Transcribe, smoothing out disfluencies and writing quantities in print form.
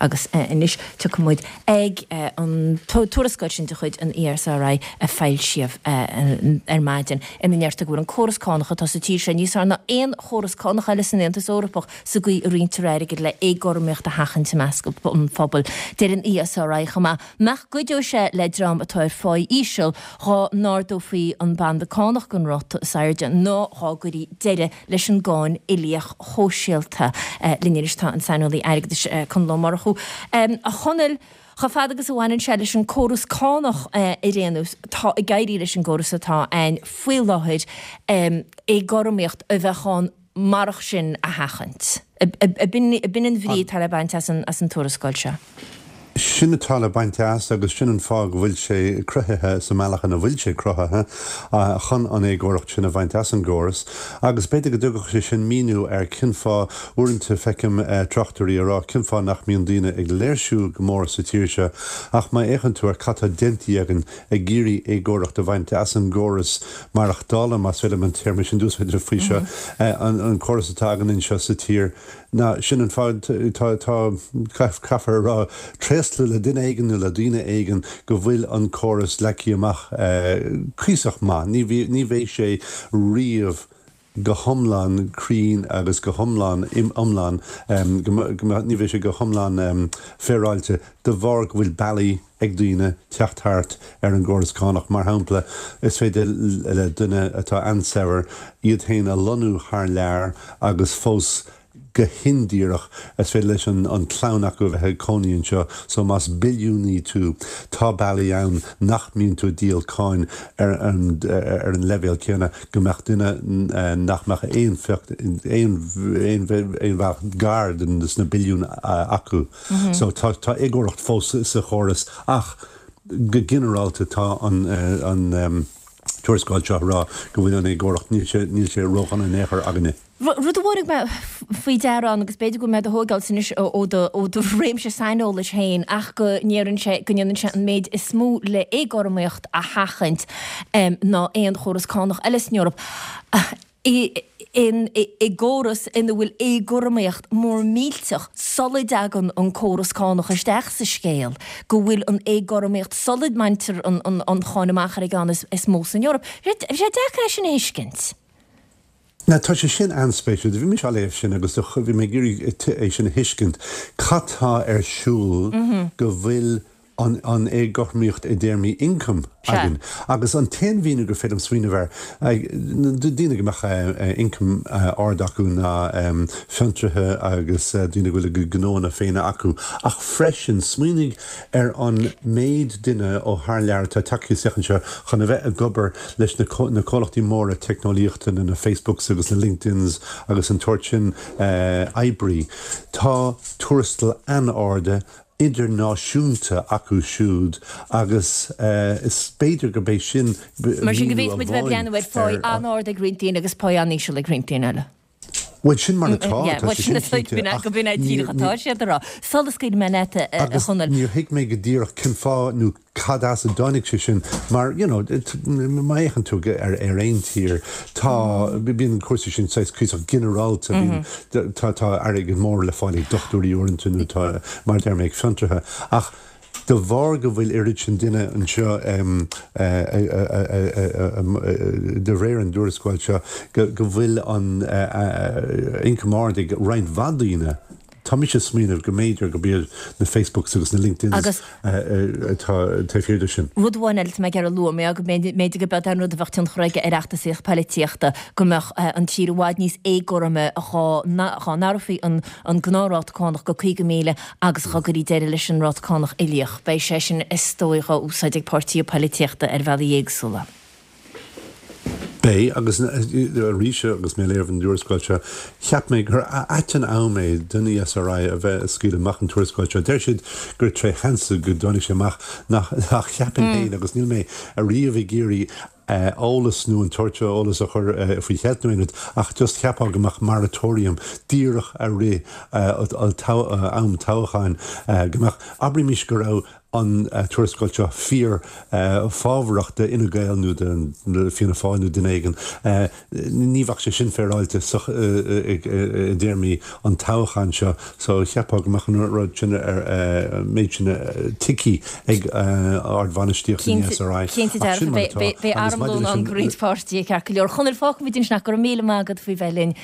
Agus anois tiocfaidh muid ag an tuarascáil sin de chuid an ESRI a foilsíodh ar maidin ina ndeirtear go bhfuil an córas cánach atá sa tír seo níos fearr ná aon chóras cánach eile san Aontas Eorpach sa gcaoi a roinntear airgead le éagothromaíocht a sheachaint i measc an phobail. Deir an ESRI chomh maith nach gcuideodh sé le dream atá ar pháí íseal dhá n-ardófaí an banda cánach don ráta is airde ná dhá gcuirí deireadh leis an gcáin uilíoch shóisialta. Linn anois tá an saineolaí airgeadais Conall Ó Murchú. A Chonaill, chomh fada agus a bhaineann sé leis an córas cánach ar aon nós, tá ag éirí leis an gcóras atá ann faoi láthair éagothromaíocht a bheadh ann marach sin a sheachaint. Ab in an bhrí atá le baint as an tuarascáil seo? Sin atá le baint as agus sin an fáth go bhfuil sé cruthaithe sa mbealach ina bhfuil sé cruthaithe, chun an éagóracht sin a bhaint as an gcóras. Agus b'fhéidir go dtugadh sé sin míniú ar cén fáth, uaireanta feicim tráchtairí ag rá cén fáth nach mbíonn daoine ag léirsiú go mór sa tír seo ach má fhéachann tú ar cad tá déanta againn ag iarraidh éagóracht a bhaint as an gcóras maireachtála, más féidir liom an téarma sin d'úsáid faoi seo, an córas atá againn anseo sa tír. Ná sin an fáth, tá, tá, caithfear a rá, tréaslú le duine éigin nó le daoine éigin go bhfuil an córas leagtha amach cuíosach maith. Ní, ní bheidh sé riamh go hiomlán cruinn agus go hiomlán, iomlán, go, go, ní bheidh sé go hiomlán féaráilte de bharr go bhfuil bealaí ag daoine teacht thart ar an gcóras cánach. Mar shampla, is féidir le duine atá an-saibhir iad féin a lonnú thar lear agus fós go hindíreach is féidir leis an chlann acu a bheith ag cónaí anseo. So más billiúnaí tú, tá bealaí ann nach mbíonn tú ag díol cáin ar an ar an leibhéal céanna go mbeadh duine nach mbeadh aon phioc aon aon bhealach gar de sna billiúin acu. So tá tá éagóracht fós sa chóras ach go ginearálta tá an an tuarascáil seo ag rá go bhfuil an éagóracht, níl sé níl sé ródhona in aon chor againne. Rud a thabharfaidh mé faoi deara ann, agus b'fhéidir go bhfuil mé do thóigeáil anois ó do ó do réimse saineolais féin, ach go ndéarann sé go ndéanann sé an méid is mó le éagothromaíocht a sheachaint ná aon chóras cánach eile san Eoraip. I gcóras ina bhfuil éagothromaíocht mór millteach sula dtagann an córas cánach isteach sa scéal, go bhfuil an éagothromaíocht sula mbaintear an cháin amach ar an gceann is mó san Eoraip. Bhí sé deacair é sin a thuiscint. Now tá sé sin an-spéisiúil. Bhí mise á léamh sin agus bhí mé ag iarraidh é sin a thuiscint. Cad tá ar siúl go bhfuil an éagothromaíocht i dtéarmaí ioncaim againn. Agus an t-aon mhíniú gur féidir liom smaoineamh air, daoine go mbeadh ioncam ard acu ná fiontraithe agus daoine go bhfuil a gcuid gnóanna féin acu. Ach freisin, smaoinigh ar an méid duine ó thar lear atá tagtha isteach anseo chun a bheith ag obair leis na comhlachtaí móra teicneolaíochta, na Facebooks agus na LinkedIns agus an tsórt sin oibrí. Tá tuarastail an-arda idirnáisiúnta acu siúd agus is b'fhéidir gurb é sin Mar sin go míniú bhféadfaidh muid a bheith ag amháin breathnú ar pháí ar an-ard ag roinnt daoine agus páí an-íseal ag roinnt daoine eile. Bhuel, sin mar atá, Yeah, tá bhuel sé sin sin cinnte, ach go b'in é díreach atá siad a rá. Sula scaoilfidh mé leat, a Agus Chonaill. níor thuig mé go díreach cén fáth nó cad as a dtáinig sé sin mar, you know, má fhéachann tú ar ar aon tír, tá, bíonn cúrsaí sin saghas cuíosach ginearálta, bíonn, tá, tá airgead mór le fáil ag dochtúirí uaireanta nó tá, mar a deir mé, ag fiontraithe. Ach de bharr go bhfuil oiread sin duine anseo, de réir an dtuarascáil seo, go bhfuil an ioncam ard ag roinnt mhaith daoine, Tá mise ag smaoineamh go mb'fhéidir gurb iad na Facebooks agus na LinkedIns atá taobh thiar de sin. Rud amháin eile atá mé ag iarraidh a lua, mé go mb'fhéidir go beag an rud a bheadh tionchar aige ar fheachtasaíocht poilitíochta, go mbeadh an tír i bhfad níos éagothroime dhá n-athrófaí an gnáthráta cánach go 50,000 agus dhá gcuirí deireadh leis an ráta cánach uilíoch. Beidh sé sin is dóigh á úsáid ag páirtithe poilitíochta ar bhealaí éagsúla. Beidh, agus arís agus mé ag léamh an tuarascáil seo, cheap mé gur ait an am é don ESRI a bheith ag scaoileadh amach an tuarascáil seo. Deir siad gur tré sheans go dtáinig sé amach, nach, ach cheapfainn féin, agus níl mé ariamh ag iarraidh eolas nó an tsórt seo eolas a chur faoi cheilt nó aon rud, ach just cheapfá go mbeadh moratorium díreach a rith am toghcháin, go mbeadh, abraimis go raibh. an tuarascáil seo fíor fábharach d'Fhine Gael nó do Fianna Fáil nó duine éigin, ní bheadh sé sin féaráilte i dtéarmaí an toghcháin seo. So cheapfá go mbeadh an rud sin, an méid sin tuigthe ag ardbhainistíocht an ESRI. Cinnte Ach sin dearfa, mar atá. beidh Agus maidir armlón leis ann an. do roinnt páirtithe, ceart go leor. Chonaill, fágfaimid ansin é, go raibh míle maith agat faoi bheith linn.